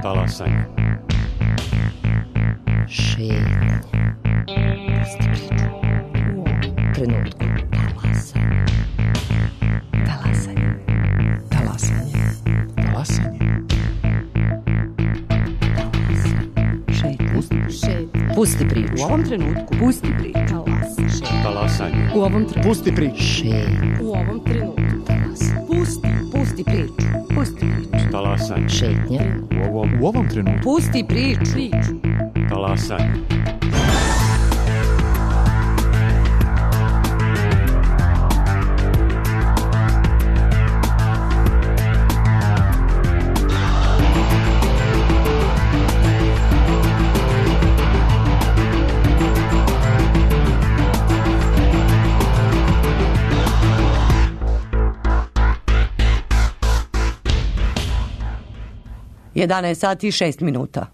Talasanje. Šetnje. Pusti priču. U ovom trenutku. Talasanje. Talasanje. Talasanje. Pusti priču. U ovom trenutku. Pusti priču. Talasanje. U ovom trenutku. Pusti priču. U ovom trenutku. Pusti priču. Pusti priču. Talasanje. Šetnje. U ovom trenutku. Pusti priču. Talasanje. Jedanaest sati i 6 minuta.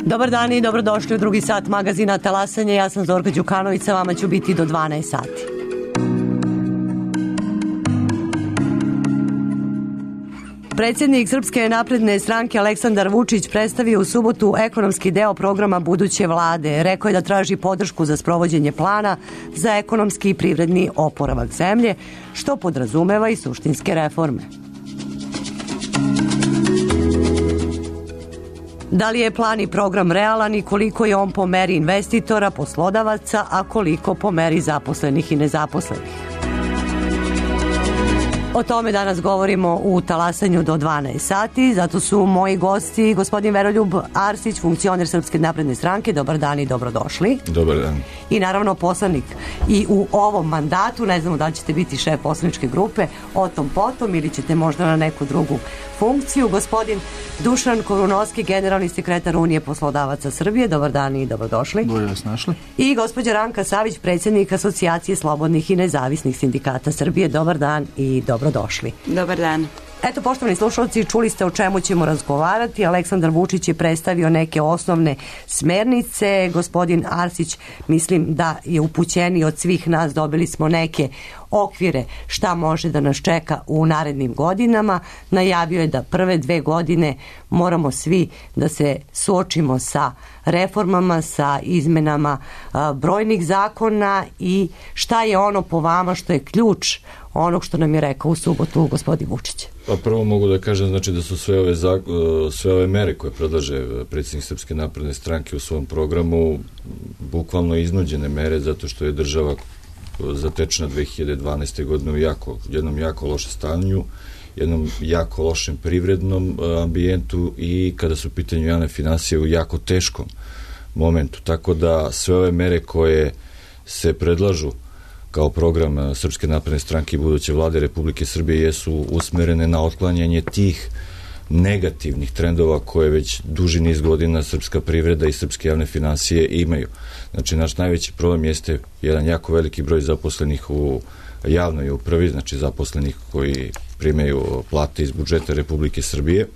Dobar dan i dobrodošli u drugi sat magazina Talasanje. Ja sam Zorka Đukanović, sa vama ću biti do 12 sati. Predsjednik Srpske napredne stranke Aleksandar Vučić predstavio u subotu ekonomski deo programa buduće vlade. Rekao je da traži podršku za sprovođenje plana za ekonomski i privredni oporavak zemlje, što podrazumeva i suštinske reforme. Da li je plan i program realan i koliko je on po meri investitora, poslodavaca, a koliko po meri zaposlenih i nezaposlenih? O tome danas govorimo u Talasanju do 12 sati, zato su moji gosti gospodin Veroljub Arsić, funkcioner Srpske napredne stranke. Dobar dan i dobrodošli. Dobar dan. I naravno poslanik i u ovom mandatu, ne znamo da li ćete biti šef poslaničke grupe, o tom potom ili ćete možda na neku drugu funkciju. Gospodin Dušan Korunovski, generalni sekretar Unije poslodavaca Srbije. Dobar dan i dobrodošli. Bolje vas našli. I gospođa Ranka Savić, predsjednik Asocijacije slobodnih i nezavisnih sindikata Srbije. Dobar dan i dobrodošli. Dobar dan. Eto, poštovani slušalci, čuli ste o čemu ćemo razgovarati. Aleksandar Vučić je predstavio neke osnovne smernice. Gospodin Arsić, mislim da je upućeniji od svih nas, dobili smo neke okvire šta može da nas čeka u narednim godinama. Najavio je da prve 2 godine moramo svi da se suočimo sa reformama, sa izmenama brojnih zakona i šta je ono po vama što je ključ onog što nam je rekao u subotu gospodin Vučić. Pa prvo mogu da kažem znači da su sve ove mere koje predlaže predsjednik Srpske napredne stranke u svom programu bukvalno iznuđene mere zato što je država zatečena 2012. godine u jednom jako lošem stanju, jednom jako lošem privrednom ambijentu i kada su u pitanju javne finansije u jako teškom momentu. Tako da sve ove mere koje se predlažu kao program Srpske napredne stranke i buduće vlade Republike Srbije jesu usmerene na otklanjanje tih negativnih trendova koje već duži niz godina srpska privreda i srpske javne finansije imaju. Znači, naš najveći problem jeste jedan jako veliki broj zaposlenih u javnoj upravi, znači zaposlenih koji primaju plate iz budžeta Republike Srbije.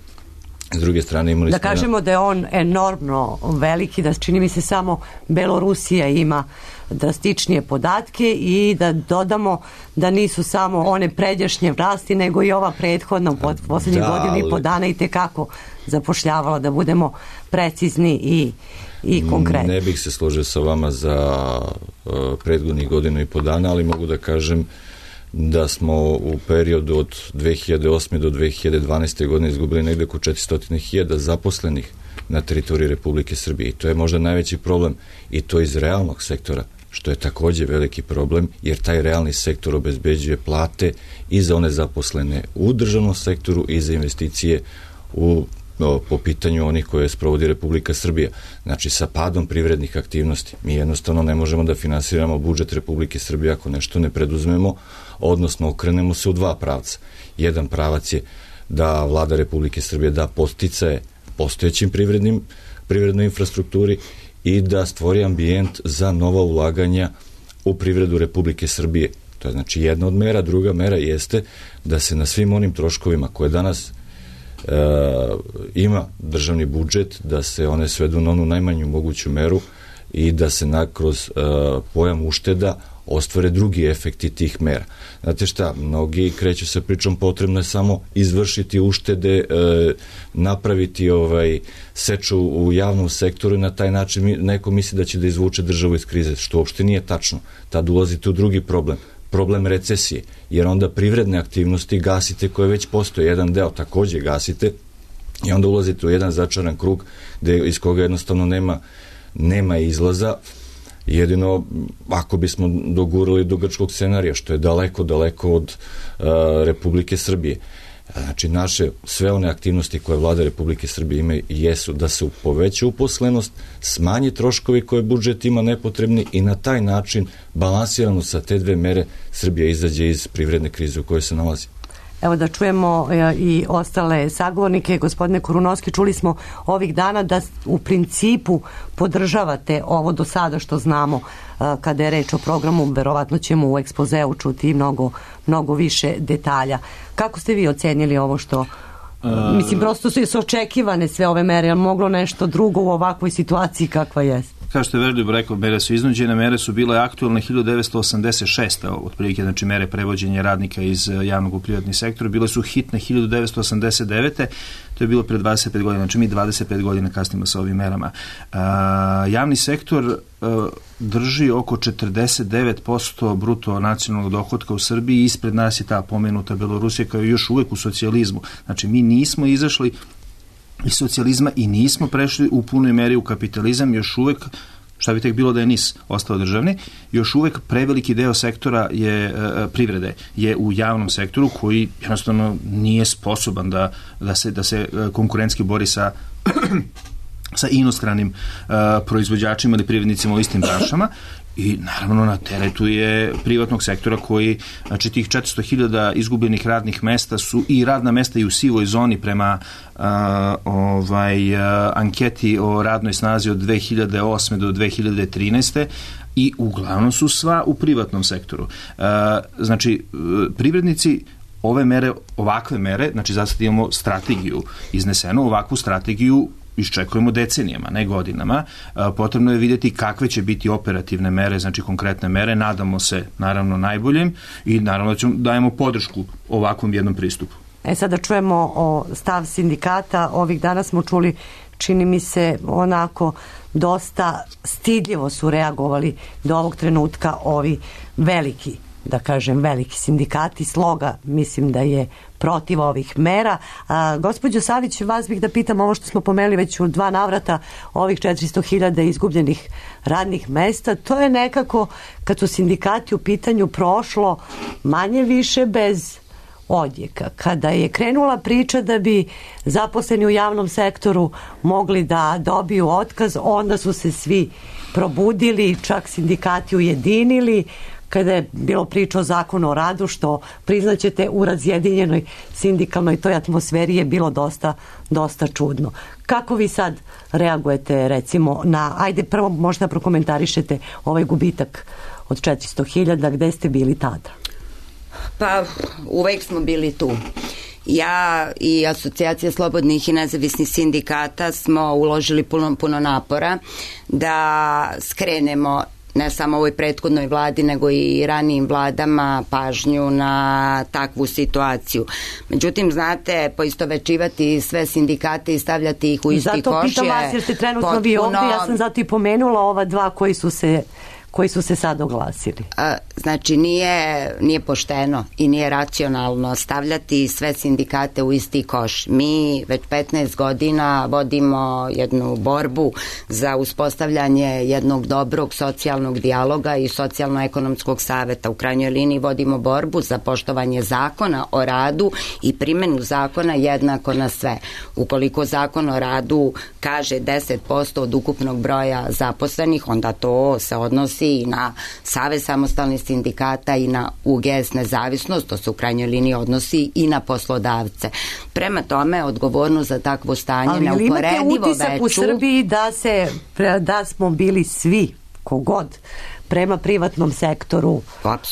S druge strane imali da kažemo da je on enormno veliki, da čini mi se samo Belorusija ima drastičnije podatke i da dodamo da nisu samo one pređašnje vlasti, nego i ova prethodna u posljednjih godinu i po dana i tekako zapošljavala, da budemo precizni i konkretni. Ne bih se složio sa vama za prethodnih godinu i po dana, ali mogu da kažem da smo u periodu od 2008. do 2012. godine izgubili negde oko 400.000 zaposlenih na teritoriji Republike Srbije. I to je možda najveći problem i to iz realnog sektora, što je takođe veliki problem, jer taj realni sektor obezbeđuje plate i za one zaposlene u državnom sektoru i za investicije po pitanju onih koje sprovodi Republika Srbija. Znači, sa padom privrednih aktivnosti mi jednostavno ne možemo da finansiramo budžet Republike Srbije ako nešto ne preduzmemo, odnosno okrenemo se u dva pravca. Jedan pravac je da vlada Republike Srbije da podsticaje postojećim privrednoj infrastrukturi i da stvori ambijent za nova ulaganja u privredu Republike Srbije. To je znači jedna od mera. Druga mera jeste da se na svim onim troškovima koje danas ima državni budžet, da se one svedu na onu najmanju moguću meru i da se kroz pojam ušteda ostvare drugi efekti tih mera. Znate šta, mnogi kreću sa pričom potrebno je samo izvršiti uštede, napraviti seču u javnom sektoru i na taj način neko misli da će da izvuče državu iz krize, što uopšte nije tačno. Tad ulazite u drugi problem recesije, jer onda privredne aktivnosti gasite koje već postoje, jedan deo takođe gasite i onda ulazite u jedan začaran krug iz koga jednostavno nema izlaza. Jedino ako bismo dogurali do grčkog scenarija, što je daleko od Republike Srbije. Znači sve one aktivnosti koje vlada Republike Srbije ima jesu da se poveća uposlenost, smanji troškovi koje budžet ima nepotrebni i na taj način balansirano sa te dve mere Srbija izađe iz privredne krize u kojoj se nalazi. Evo da čujemo i ostale sagovornike. Gospodine Korunovski, čuli smo ovih dana da u principu podržavate ovo do sada što znamo kada je reč o programu. Verovatno ćemo u ekspozeu čuti mnogo više detalja. Kako ste vi ocenili ovo što... Mislim, prosto su očekivane sve ove mere, ali moglo nešto drugo u ovakvoj situaciji kakva jest? Kao što je Veroljub rekao, mere su iznuđene, mere su bile aktualne 1986. otprilike, znači mere prevođenja radnika iz javnog u privatni sektor, bile su hitne 1989. To je bilo pre 25 godina, znači mi 25 godina kasnimo sa ovim merama. Javni sektor drži oko 49% bruto nacionalnog dohotka u Srbiji i ispred nas je ta pomenuta Belorusija koja je još uvek u socijalizmu. Znači mi nismo izašli iz socijalizma i nismo prešli u punoj meri u kapitalizam, još uvek, šta bi tek bilo da je NIS ostao državni, još uvek preveliki deo sektora privrede je u javnom sektoru koji jednostavno nije sposoban da se konkurentski bori sa inostranim proizvođačima ili privrednicima u istim branšama. I naravno na teretu je privatnog sektora koji, znači tih 400.000 izgubljenih radnih mesta su i radna mesta i u sivoj zoni prema anketi o radnoj snazi od 2008. do 2013. i uglavnom su sva u privatnom sektoru. Znači, privrednici ovakve mere, znači zato imamo strategiju iznesenu, ovakvu strategiju iščekujemo decenijama, ne godinama. Potrebno je vidjeti kakve će biti operativne mere, znači konkretne mere. Nadamo se, naravno, najboljim i naravno dajemo podršku ovakvom jednom pristupu. Sada čujemo o stav sindikata. Ovih dana smo čuli, čini mi se, onako dosta stidljivo su reagovali do ovog trenutka ovi veliki sindikati. Sloga mislim da je protiv ovih mera. Gospođo Savić, vas bih da pitam ovo što smo pomenuli već u 2 navrata, ovih 400.000 izgubljenih radnih mesta. To je nekako, kad su sindikati u pitanju, prošlo manje više bez odjeka. Kada je krenula priča da bi zaposleni u javnom sektoru mogli da dobiju otkaz, onda su se svi probudili, čak sindikati ujedinili. Kada je bilo priča o zakonu o radu, što priznaćete u razjedinjenoj sindikalnoj toj atmosferi je bilo dosta čudno. Kako vi sad reagujete recimo ajde prvo možda prokomentarišete ovaj gubitak od 400.000, gde ste bili tada? Pa uvek smo bili tu. Ja i Asocijacija slobodnih i nezavisnih sindikata smo uložili puno napora da skrenemo ne samo ovoj prethodnoj vladi, nego i ranijim vladama pažnju na takvu situaciju. Međutim, znate, poistovećivati sve sindikate i stavljati ih u isti koš je zato pitam vas, jer ste trenutno vi ovdje, ja sam zato i pomenula ova dva koji su se sad oglasili. Znači, nije pošteno i nije racionalno stavljati sve sindikate u isti koš. Mi već 15 godina vodimo jednu borbu za uspostavljanje jednog dobrog socijalnog dijaloga i socijalno-ekonomskog saveta. U krajnjoj liniji vodimo borbu za poštovanje zakona o radu i primjenu zakona jednako na sve. Ukoliko zakon o radu kaže 10% od ukupnog broja zaposlenih, onda to se odnosi odnosi i na Savez samostalnih sindikata i na UGS Nezavisnost, to se u krajnjoj liniji odnosi i na poslodavce. Prema tome, odgovornost za takvo stanje neuporedivo veću. Ali imate utisak u Srbiji da smo bili svi, kogod, prema privatnom sektoru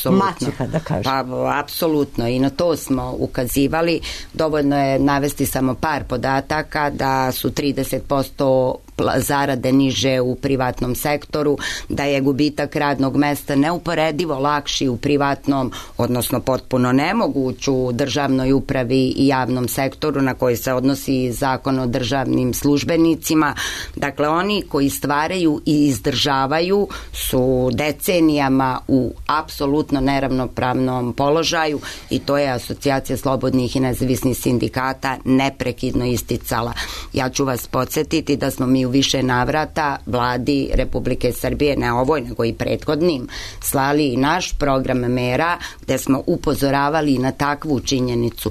maćeha, da kažem? Pa, apsolutno, i na to smo ukazivali. Dovoljno je navesti samo par podataka da su 30% zarade niže u privatnom sektoru, da je gubitak radnog mesta neuporedivo lakši u privatnom, odnosno potpuno nemoguć u državnoj upravi i javnom sektoru na koji se odnosi Zakon o državnim službenicima. Dakle, oni koji stvaraju i izdržavaju su decenijama u apsolutno neravnopravnom položaju i to je Asocijacija slobodnih i nezavisnih sindikata neprekidno isticala. Ja ću vas podsjetiti da smo mi u više navrata vladi Republike Srbije, ne ovoj nego i prethodnim, slali i naš program mera gde smo upozoravali na takvu činjenicu.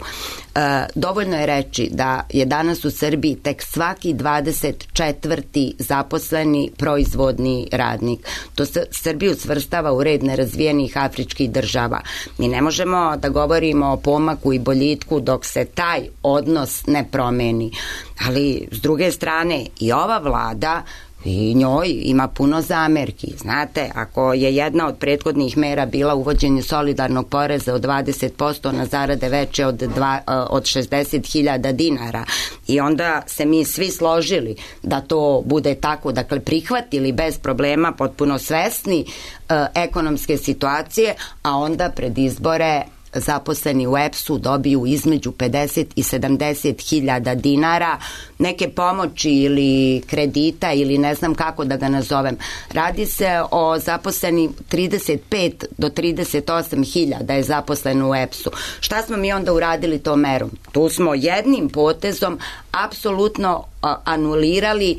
Dovoljno je reći da je danas u Srbiji tek svaki 24. zaposleni proizvodni radnik. To se Srbiju svrstava u red nerazvijenih afričkih država. Mi ne možemo da govorimo o pomaku i boljitku dok se taj odnos ne promeni. Ali s druge strane i ova vlada i njoj ima puno zamerki. Znate, ako je jedna od prethodnih mera bila uvođenje solidarnog poreza od 20% na zarade veće od 60.000 dinara i onda se mi svi složili da to bude tako, dakle prihvatili bez problema, potpuno svesni ekonomske situacije, a onda pred izbore zaposleni u EPS-u dobiju između 50 i 70.000 dinara neke pomoći ili kredita ili ne znam kako da ga nazovem. Radi se o zaposleni 35 do 38.000 je zaposleno u EPS-u. Šta smo mi onda uradili tom merom? Tu smo jednim potezom apsolutno anulirali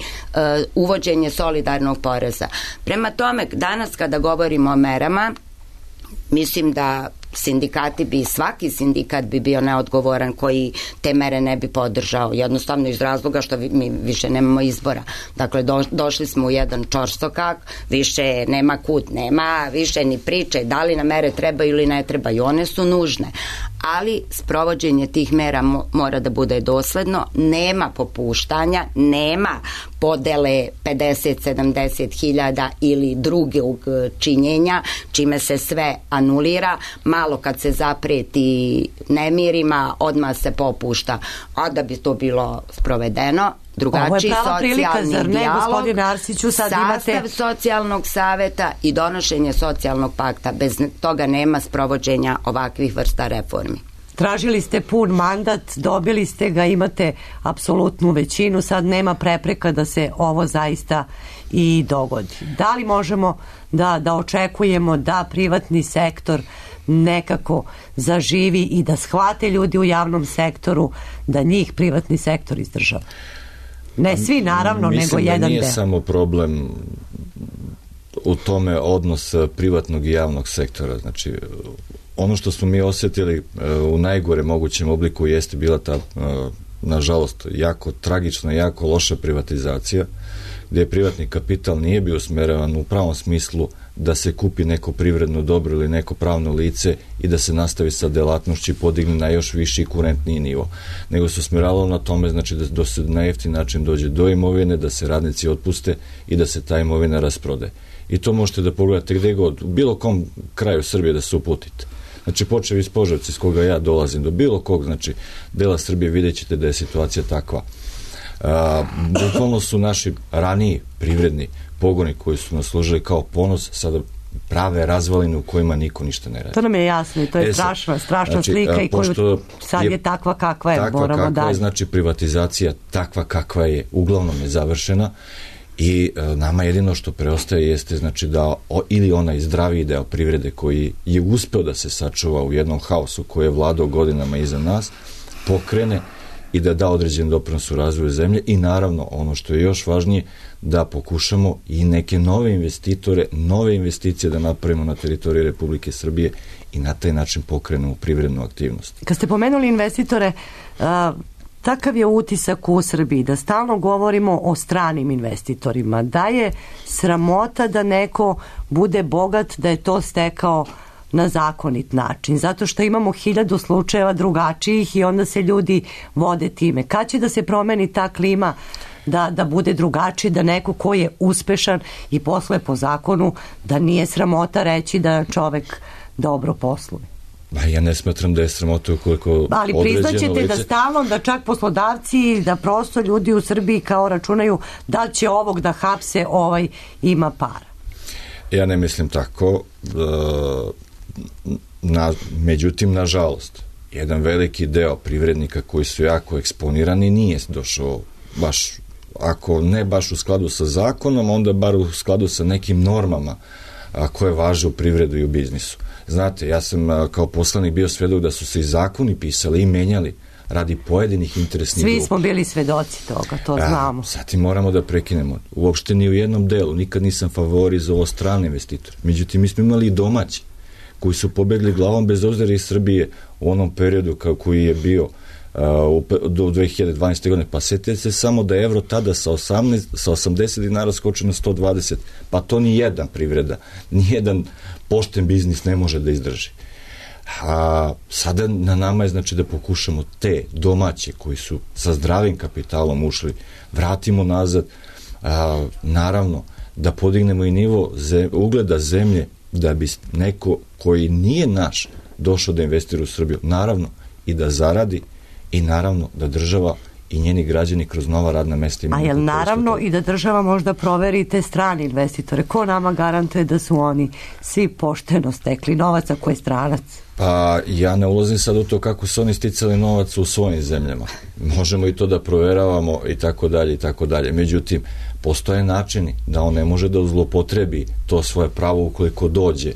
uvođenje solidarnog poreza. Prema tome, danas kada govorimo o merama, mislim da svaki sindikat bi bio neodgovoran koji te mere ne bi podržao, jednostavno iz razloga što mi više nemamo izbora. Dakle, došli smo u jedan čorsokak, više nema kut, nema više ni priče da li na mere treba ili ne treba i one su nužne. Ali sprovođenje tih mera mora da bude dosledno, nema popuštanja, nema podele 50-70.000 ili drugog činjenja, čime se sve anulira. Malo kad se zapreti nemirima, odmah se popušta. A da bi to bilo sprovedeno, drugačiji socijalni dijalog, sastav socijalnog saveta i donošenje socijalnog pakta. Bez toga nema sprovođenja ovakvih vrsta reformi. Tražili ste pun mandat, dobili ste ga, imate apsolutnu većinu, sad nema prepreka da se ovo zaista i dogodi. Da li možemo da očekujemo da privatni sektor nekako zaživi i da shvate ljudi u javnom sektoru da njih privatni sektor izdržava? Ne svi naravno, nego jedan deo. Mislim da nije samo problem u tome odnos privatnog i javnog sektora. Znači, ono što smo mi osjetili u najgore mogućem obliku jeste bila ta, nažalost, jako tragična, jako loša privatizacija, gde privatni kapital nije bio usmeravan u pravom smislu da se kupi neko privredno dobro ili neko pravno lice i da se nastavi sa delatnošću i podigne na još viši i kurentniji nivo. Nego se usmeravalo na tome, znači da se na jeftin način dođe do imovine, da se radnici otpuste i da se ta imovina rasprode. I to možete da pogledate gde god, u bilo kom kraju Srbije da se uputite. Znači, počev iz Požarevca iz koga ja dolazim do bilo kog, znači, dela Srbije, vidjet ćete da je situacija takva. Bukvalno su naši raniji privredni pogoni koji su nas služili kao ponos, sada prave razvaline u kojima niko ništa ne radi. To nam je jasno i to je strašna znači, slika i koju sad je takva kakva je. Takva kakva je, znači privatizacija takva kakva je, uglavnom je završena i nama jedino što preostaje jeste znači da ili onaj zdraviji deo privrede koji je uspeo da se sačuva u jednom haosu koji je vladao godinama iza nas, pokrene i da da određen doprinos u razvoju zemlje i naravno ono što je još važnije da pokušamo i neke nove investitore, nove investicije da napravimo na teritoriji Republike Srbije i na taj način pokrenemo privrednu aktivnost. Kad ste pomenuli investitore, takav je utisak u Srbiji, da stalno govorimo o stranim investitorima, da je sramota da neko bude bogat, da je to stekao na zakonit način, zato što imamo 1000 slučajeva drugačijih i onda se ljudi vode time. Kad će da se promeni ta klima da bude drugačiji, da neko ko je uspešan i posluje po zakonu, da nije sramota reći da čovek dobro posluje? Ja ne smatram da je sramota ukoliko ali priznaćete da stalno, da čak poslodavci, da prosto ljudi u Srbiji kao računaju da će ovog da hapse, ovaj ima para. Ja ne mislim tako. Međutim, nažalost, jedan veliki deo privrednika koji su jako eksponirani nije došao baš, ako ne baš u skladu sa zakonom, onda bar u skladu sa nekim normama koje važe u privredu i u biznisu. Znate, ja sam kao poslanik bio svedok da su se i zakoni pisali i menjali radi pojedinih interesnih grupa. Svi smo bili svedoci toga, to znamo. Sad i moramo da prekinemo. Uopšte ni u jednom delu, nikad nisam favorizovao strane investitore. Međutim, mi smo imali i domaći koji su pobegli glavom bez obzira iz Srbije u onom periodu koji je bio do 2012. godine. Pa setite se samo da je evro tada sa 80 dinara skočio na 120. Pa to ni jedna privreda, ni jedan pošten biznis ne može da izdrži. A sada na nama je znači da pokušamo te domaće koji su sa zdravim kapitalom ušli, vratimo nazad, naravno da podignemo i nivo ugleda zemlje, da bi neko koji nije naš došao da investira u Srbiju, naravno i da zaradi i naravno da država i njeni građani kroz nova radna mesta imaju. A jel naravno i da država možda proveri te strane investitore? Ko nama garantuje da su oni svi pošteno stekli novac ako je stranac? Pa ja ne ulazim sad u to kako su oni sticali novac u svojim zemljama. Možemo i to da proveravamo i tako dalje i tako dalje. Međutim, postoje načini da on ne može da zlopotrebi to svoje pravo ukoliko dođe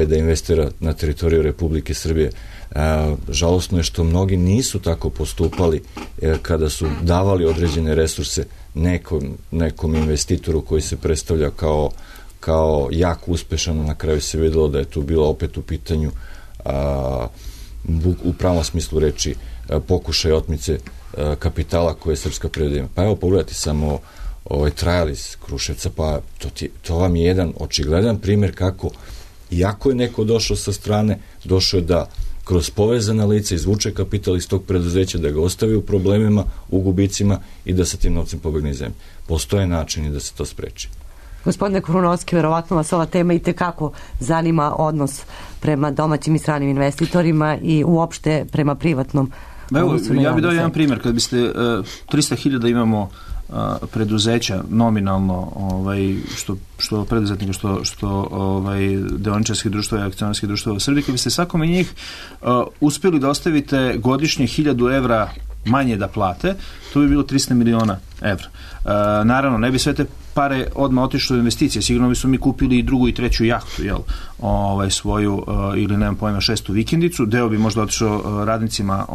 da investira na teritoriju Republike Srbije. Žalosno je što mnogi nisu tako postupali kada su davali određene resurse nekom investitoru koji se predstavlja kao jako uspešan. Na kraju se videlo da je tu bilo opet u pitanju u pravom smislu reči pokušaj otmice kapitala koje je srpska privreda ima. Pa evo pogledajte samo Trajal iz Kruševca, pa to vam je jedan očigledan primjer kako iako je neko došao sa strane, došao je da kroz povezana lica izvuče kapital iz tog preduzeća, da ga ostavi u problemima, u gubicima i da sa tim novcem pobegne iz zemlje. Postoje načini da se to spreči. Gospodine Krunovski, verovatno vas ova tema i tekako zanima odnos prema domaćim i stranim investitorima i uopšte prema privatnom. Evo, ja bih dao jedan primjer. Kad biste 300.000 imamo preduzeća nominalno što preduzetnika, što deoničarskih društva i akcionarskih društva u Srbiji, kad biste svakome njih uspjeli da ostavite godišnje 1.000 evra manje da plate, to bi bilo 300 miliona evra. Naravno, ne bi sve te pare odmah otišle u investicije, sigurno bi su mi kupili i drugu i treću jahtu, svoju ili nemam pojma 6. vikendicu, deo bi možda otišao radnicima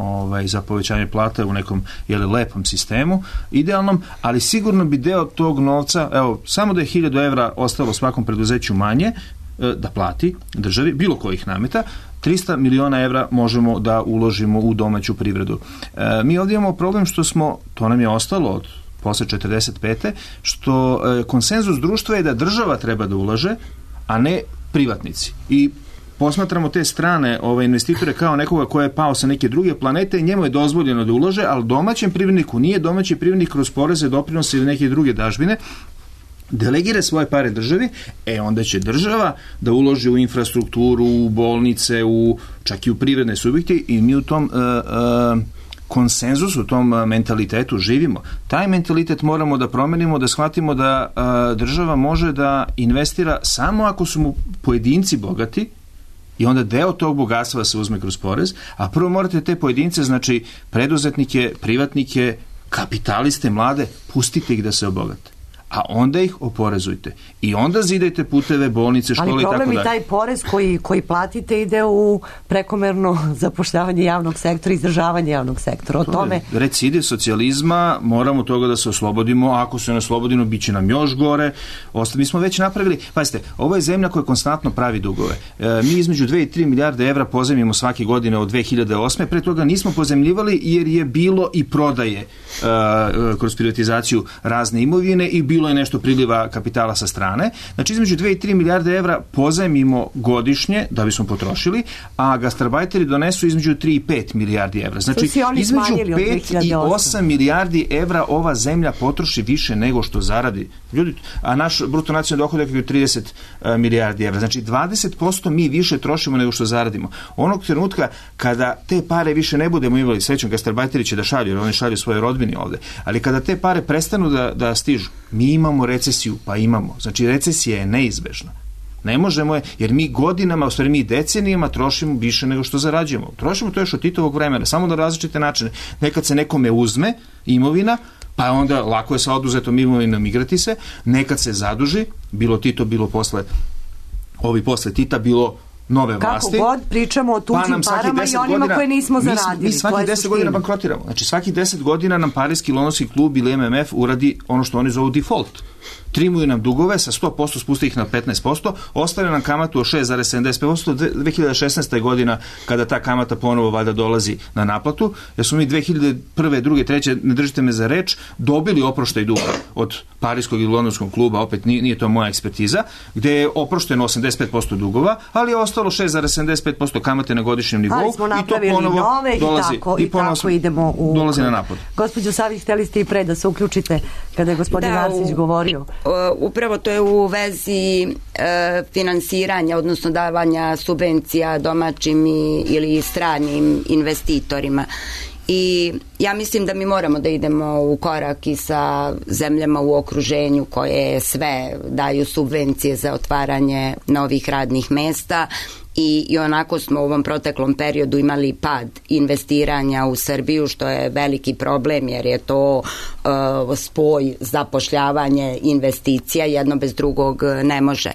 za povećanje plata u nekom lepom sistemu, idealnom, ali sigurno bi deo tog novca, samo da je 1.000 evra ostalo svakom preduzeću manje da plati državi, bilo kojih nameta, 300 miliona evra možemo da uložimo u domaću privredu. Mi ovdje imamo problem što to nam je ostalo od posle 45. što konsenzus društva je da država treba da ulaže, a ne privatnici. I posmatramo te strane investitore kao nekoga ko je pao sa neke druge planete i njemu je dozvoljeno da ulaže, ali domaćem privredniku nije. Domaći privrednik kroz poreze, doprinose ili neke druge dažbine delegira svoje pare državi, onda će država da uloži u infrastrukturu, u bolnice, čak i u privredne subjekte i mi u tom konsenzusu, u tom mentalitetu živimo. Taj mentalitet moramo da promenimo, da shvatimo da država može da investira samo ako su mu pojedinci bogati i onda deo tog bogatstva se uzme kroz porez, a prvo morate te pojedince, znači preduzetnike, privatnike, kapitaliste, mlade, pustite ih da se obogate. a onda ih oporezujte. I onda zidajte puteve, bolnice, škole i tako dalje. Ali problem i taj porez koji platite ide u prekomerno zapošljavanje javnog sektora, izdržavanje javnog sektora. O tome... Recidiv socijalizma, moramo toga da se oslobodimo, ako se ne oslobodimo, bit će nam još gore. Mi smo već napravili, pazite, ovo je zemlja koja konstantno pravi dugove. Mi između 2 i 3 milijarde evra pozajmimo svake godine od 2008. Pre toga nismo pozajmljivali jer je bilo i prodaje kroz privatizaciju razne imovine i bilo je nešto priliva kapitala sa strane. Znači, između 2 i 3 milijarde evra pozajmimo godišnje da bismo potrošili, a gastarbajteri donesu između 3 i 5 milijardi evra. Znači, između 5 i 8 milijardi evra ova zemlja potroši više nego što zaradi. Ljudi, a naš bruto nacionalni dohodak je 30 milijardi evra. Znači, 20% mi više trošimo nego što zaradimo. Onog trenutka kada te pare više ne budemo imali, srećom, gastarbajteri će da šalju, jer oni šalju svoje rodbini ovde, ali kada te pare prestanu da stižu, mi imamo recesiju, pa imamo. Znači, recesija je neizbežna. Ne možemo je, jer mi godinama, u stvari mi decenijama trošimo više nego što zarađujemo. Trošimo to još od Titovog vremena, samo na različite načine. Nekad se nekome uzme imovina, pa onda lako je sa oduzetom imovinom igrati se, nekad se zaduži, bilo Tito, bilo posle Tita, bilo nove vlasti. Kako god pričamo o tuđim parama i onima koje nismo zaradili. Mi svaki 10 godina bankrotiramo. Znači, svaki 10 godina nam Parijski londonski klub ili MMF uradi ono što oni zovu default. Trimuju nam dugove sa 100%, spuste ih na 15%, ostane nam kamatu od 6,75%. 2016. godina kada ta kamata ponovo valjda dolazi na naplatu, jer smo mi 2001. 2. 3. ne držite me za reč, dobili oproštaj duga od Parijskog i londonskog kluba, opet nije to moja ekspertiza, gde je oprošteno 85% dugova, ali je ostalo 6,75% kamate na godišnjem nivou i to ponovo dolazi i tako idemo dolazi na naplatu. Gospođo Savić, hteli ste i pre da se uključite kada je gospodin Arsić govorio. Upravo to je u vezi finansiranja, odnosno davanja subvencija domaćim ili stranim investitorima. I ja mislim da mi moramo da idemo u korak i sa zemljama u okruženju koje sve daju subvencije za otvaranje novih radnih mesta i onako smo u ovom proteklom periodu imali pad investiranja u Srbiju, što je veliki problem jer je to spoj zapošljavanje investicija, jedno bez drugog ne može.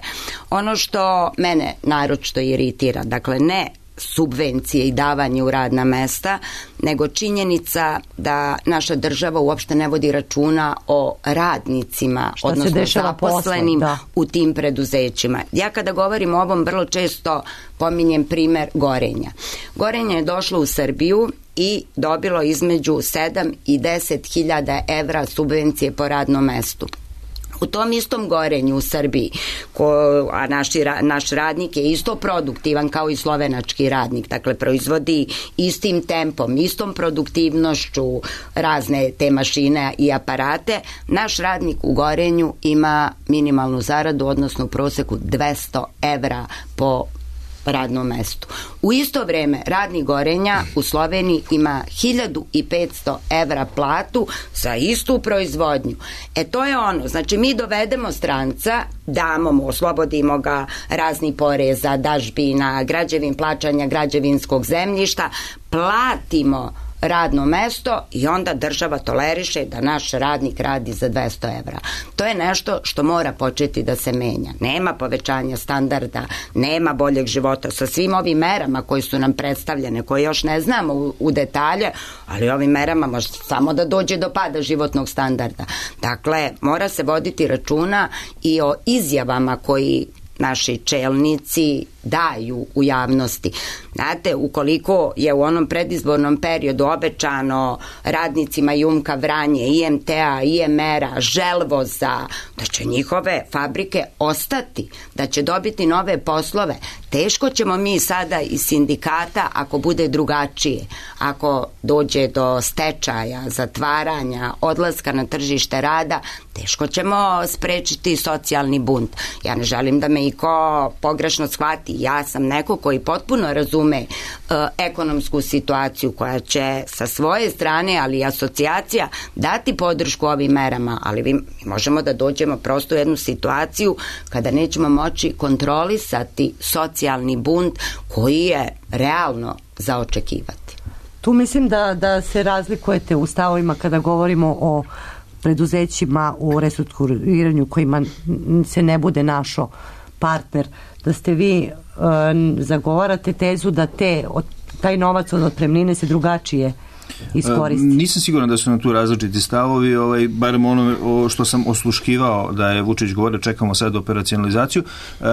Ono što mene naročito iritira, dakle ne subvencije i davanje u radna mesta, nego činjenica da naša država uopšte ne vodi računa o radnicima, odnosno zaposlenim u tim preduzećima. Ja kada govorim o ovom vrlo često pominjem primer Gorenja. Gorenje je došlo u Srbiju i dobilo između 7 i 10 hiljada evra subvencije po radnom mestu. U tom istom Gorenju u Srbiji, a naš radnik je isto produktivan kao i slovenački radnik, dakle proizvodi istim tempom, istom produktivnošću razne te mašine i aparate, naš radnik u Gorenju ima minimalnu zaradu, odnosno u proseku 200 evra po radnom mestu. U isto vreme radnik Gorenja u Sloveniji ima 1500 evra platu za istu proizvodnju. To je ono, znači mi dovedemo stranca, damo mu, oslobodimo ga razni poreza, dažbina, plaćanja građevinskog zemljišta, platimo radno mesto i onda država toleriše da naš radnik radi za 200 evra. To je nešto što mora početi da se menja. Nema povećanja standarda, nema boljeg života sa svim ovim merama koje su nam predstavljene, koje još ne znamo u detalje, ali ovim merama može samo da dođe do pada životnog standarda. Dakle, mora se voditi računa i o izjavama koji naši čelnici daju u javnosti. Znate, ukoliko je u onom predizbornom periodu obećano radnicima Jumka Vranje, IMT-a, IMR-a, Želvoza, da će njihove fabrike ostati, da će dobiti nove poslove, teško ćemo mi sada iz sindikata, ako bude drugačije, ako dođe do stečaja, zatvaranja, odlaska na tržište rada, teško ćemo sprečiti socijalni bunt. Ja ne želim da me iko pogrešno shvati. Ja sam neko koji potpuno razume ekonomsku situaciju, koja će sa svoje strane, ali i asocijacija, dati podršku ovim merama, ali mi možemo da dođemo prosto u jednu situaciju kada nećemo moći kontrolisati socijalni bunt koji je realno za očekivati. Tu mislim da se razlikujete u stavovima kada govorimo o preduzećima u restrukturiranju kojima se ne bude našao partner, da ste vi zagovarate tezu da taj novac od otpremnine se drugačije iskoristi? Nisam siguran da su na tu različiti stavovi, barem ono što sam osluškivao da je Vučić govorio, čekamo sad operacionalizaciju.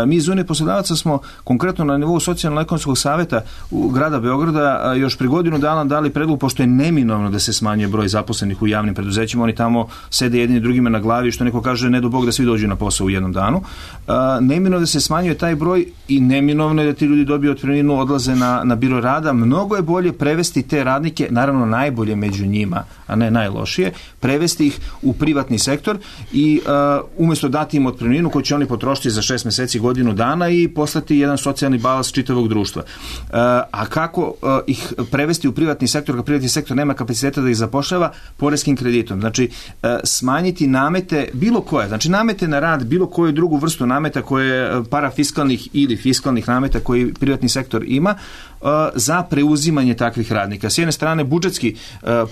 Mi iz Unije poslodavaca smo konkretno na nivou socijalno-ekonomskog saveta u grada Beograda još pri godinu dana dali predlog, pošto je neminovno da se smanjuje broj zaposlenih u javnim preduzećima, oni tamo sede jedni drugima na glavi, što neko kaže ne do Bog da svi dođu na posao u jednom danu. Neminovno da se smanjuje taj broj i neminovno je da ti ljudi dobiju otpremninu, odlaze na biro rada. Mnogo je bolje prevesti te radnike, naravno najbolje među njima, a ne najlošije, prevesti ih u privatni sektor i umjesto dati im otpremninu koju će oni potrošiti za 6 meseci, godinu dana i poslati jedan socijalni balans čitavog društva. A kako ih prevesti u privatni sektor, kad privatni sektor nema kapaciteta da ih zapošljava? Poreskim kreditom. Znači, smanjiti namete bilo koje, znači namete na rad, bilo koju drugu vrstu nameta koje parafiskalnih ili fiskalnih nameta koji privatni sektor ima, za preuzimanje takvih radnika. S jedne strane, budžetski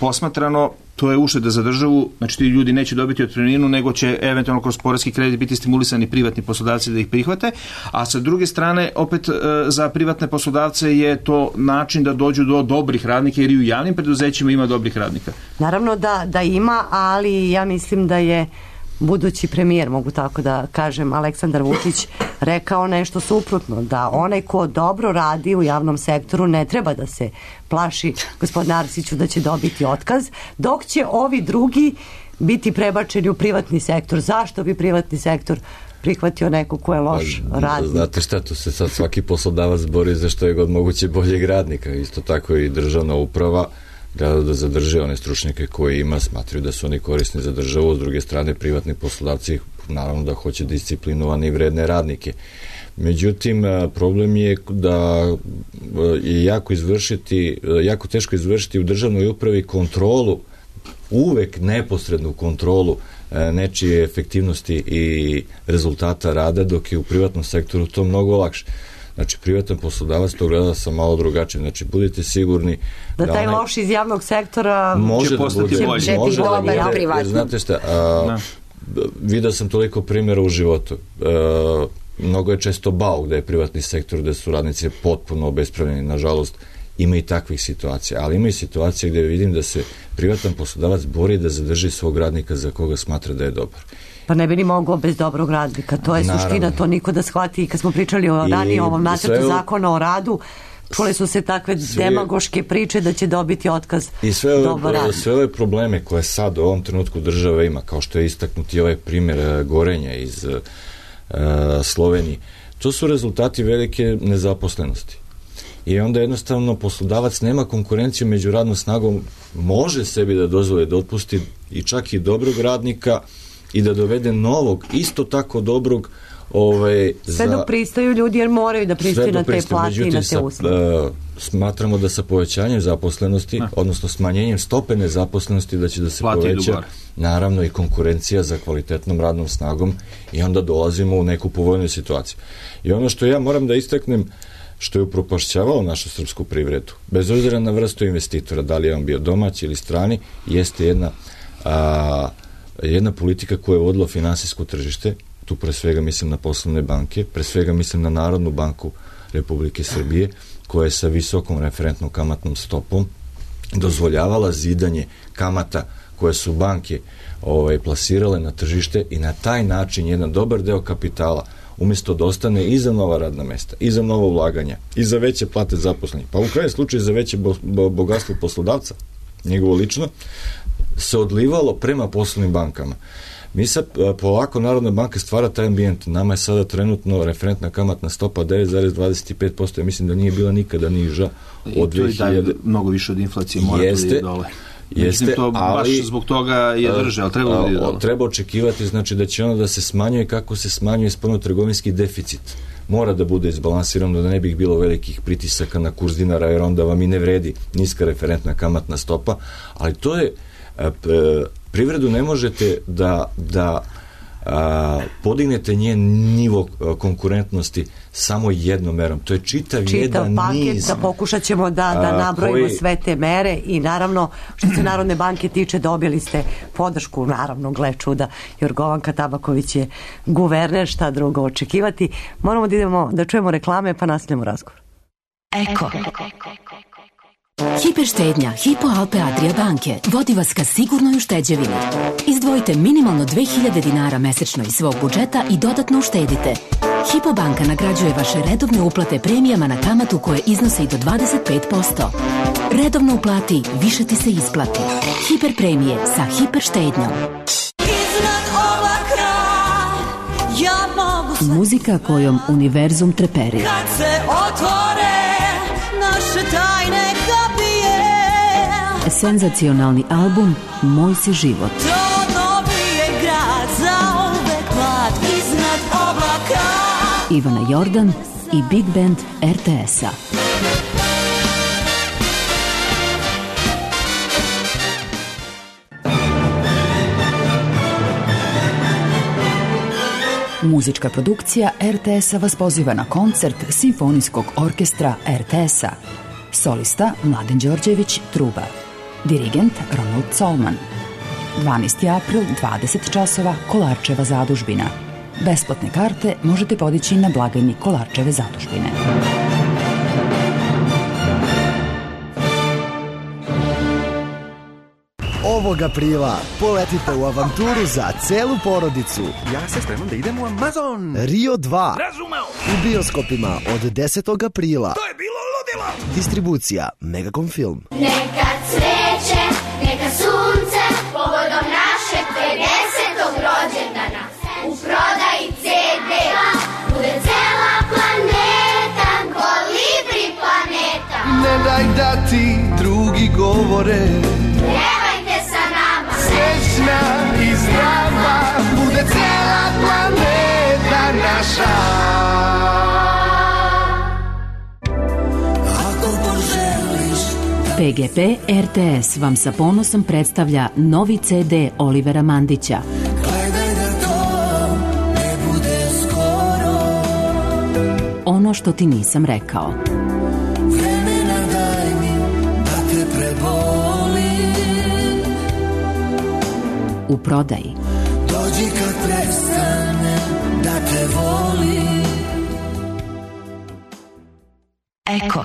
posmatrano, to je ušteda za državu, znači ti ljudi neće dobiti otpremninu, nego će eventualno kroz poreski kredit biti stimulisani privatni poslodavci da ih prihvate, a sa druge strane, opet za privatne poslodavce je to način da dođu do dobrih radnika, jer i u javnim preduzećima ima dobrih radnika. Naravno da ima, ali ja mislim da je budući premijer, mogu tako da kažem, Aleksandar Vučić rekao nešto suprotno, da onaj ko dobro radi u javnom sektoru ne treba da se plaši, gospodine Arsiću, da će dobiti otkaz, dok će ovi drugi biti prebačeni u privatni sektor. Zašto bi privatni sektor prihvatio neko ko je loš radnik? Znate šta, tu se sad svaki poslodavac bori za što je god moguće boljeg radnika. Isto tako i državna uprava gleda da zadrže one stručnjake koje ima, smatraju da su oni korisni za državu. S druge strane, privatni poslodavci naravno da hoće disciplinovane i vredne radnike. Međutim, problem je da je jako teško izvršiti u državnoj upravi kontrolu, uvek neposrednu kontrolu nečije efektivnosti i rezultata rada, dok je u privatnom sektoru to mnogo lakše. Znači, privatan poslodavac to gleda sa malo drugačije. Znači, budite sigurni da taj loš iz javnog sektora može postati bolje. Može da bude, jer znate šta, vidio sam toliko primjera u životu. Mnogo je često bauk da je privatni sektor, da su radnici potpuno obespravljeni. Nažalost, ima i takvih situacija, ali ima i situacije gde vidim da se privatan poslodavac bori da zadrži svog radnika za koga smatra da je dobar. Pa ne bi ni mogao bez dobrog radnika, to je suština, to niko da shvati. I kad smo pričali ranije o ovom nacrtu zakona o radu, čule su se takve demagoške priče da će dobiti otkaz dobar radnik. Sve ove probleme koje sad u ovom trenutku država ima, kao što je istaknuti ovaj primjer Gorenja iz Slovenije, to su rezultati velike nezaposlenosti. I onda jednostavno poslodavac nema konkurenciju među radnom snagom, može sebi da dozvoli da otpusti i čak i dobrog radnika i da dovede novog, isto tako dobrog. Sve dok pristaju ljudi, jer moraju da pristaju na te plate i na te usluge. Smatramo da sa povećanjem zaposlenosti, odnosno smanjenjem stope nezaposlenosti, da će da se poveća naravno i konkurencija za kvalitetnom radnom snagom i onda dolazimo u neku povoljnu situaciju. I ono što ja moram da istaknem, što je upropašćavalo našu srpsku privredu, bez obzira na vrstu investitora, da li je on bio domaći ili strani, jeste jedna politika koja je vodila finansijsko tržište. Tu pre svega mislim na poslovne banke, pre svega mislim na Narodnu banku Republike Srbije, koja je sa visokom referentnom kamatnom stopom dozvoljavala zidanje kamata koje su banke plasirale na tržište i na taj način jedan dobar deo kapitala umjesto da ostane i za nova radna mesta, i za novo ulaganja, i za veće plate zaposlenih, pa u krajnjem slučaju za veće bogatstvo poslodavca, njegovo lično, se odlivalo prema poslovnim bankama. Mi sad polako Narodna banka stvara taj ambijent. Nama je sada trenutno referentna kamatna stopa 9,25%. Ja mislim da nije bila nikada niža od 2000. I to je mnogo više od inflacije, mora da ide dole. Jeste, to baš zbog toga je drže, ali treba da ide dole. Treba očekivati, znači da će ono da se smanjuje kako se smanjuje spoljnotrgovinski deficit. Mora da bude izbalansirano, da ne bi bilo velikih pritisaka na kurs dinara, jer onda vam i ne vredi niska referentna kamatna stopa, ali to je privredu ne možete da podignete njen nivo konkurentnosti samo jednom merom. To je čitav jedan paket, niz. da pokušat ćemo da nabrojimo sve te mere i naravno što se Narodne banke tiče dobili ste podršku, naravno, gle čuda, Jorgovanka Tabaković je guverner, šta drugo očekivati. Moramo da idemo da čujemo reklame pa nastavljamo razgovor. Eko. Hiperštednja Hypo Alpe Adria banke vodi vas ka sigurnoj ušteđevini. Izdvojite minimalno 2000 dinara mesečno iz svog budžeta i dodatno uštedite. Hypo banka nagrađuje vaše redovne uplate premijama na kamatu koje iznose i do 25%. Redovno uplati, više ti se isplati. Hiper premije sa hiperštednjom. Muzika kojom univerzum treperi. Kad se otvore naše tajne kapije, Senzacionalni album Moj si život. to dobije grad za uvek mlad iznad oblaka. Ivana Jordan i Big Band RTS-a. Muzička produkcija RTS-a vas poziva na koncert Simfonijskog orkestra RTS-a. Solista Mladen Đorđević, truba. Dirigent Ronald Colman. 12. april, 20 časova, Kolarčeva zadužbina. Besplatne karte možete podići na blagajni Kolarčeve zadužbine. Ovog aprila poletite u avanturu za celu porodicu. Ja se spremam da idem u Amazon. Rio 2. Razumeo. U bioskopima od 10. aprila. To je bilo ludilo. Distribucija Megacom Film. Neka cveće, neka sunce, povodom našeg 50. rođendana. U prodaji CD-a bude cela planeta, Kolibri planeta. Ne daj da ti drugi govore, Pevajte sa nama. srećna i zdrava, bude cela planeta naša. Ako poželiš PGP RTS vam sa ponosom predstavlja novi CD Olivera Mandića. gledaj da to ne bude skoro, Ono što ti nisam rekao. vremena daj mi da te prebolim. U prodaji. Dođi kad prestanem da te volim. Eko.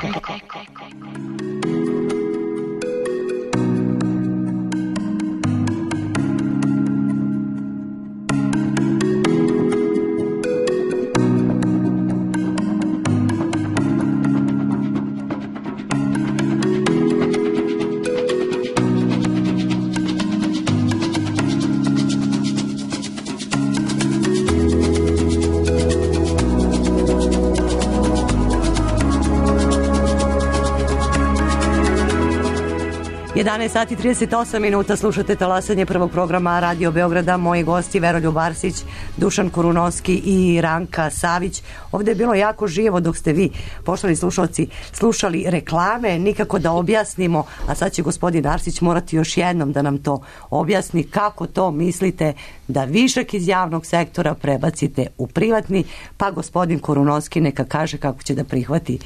Sati 38 minuta, slušate talasanje prvog programa Radio Beograda. Moji gosti Veroljub Arsić, Dušan Kurunovski i Ranka Savić. Ovdje je bilo jako živo dok ste vi, poštovani slušalci, slušali reklame, nikako da objasnimo, a sad će gospodin Arsić morati još jednom da nam to objasni kako to mislite da višak iz javnog sektora prebacite u privatni, pa gospodin Kurunovski neka kaže kako će da prihvati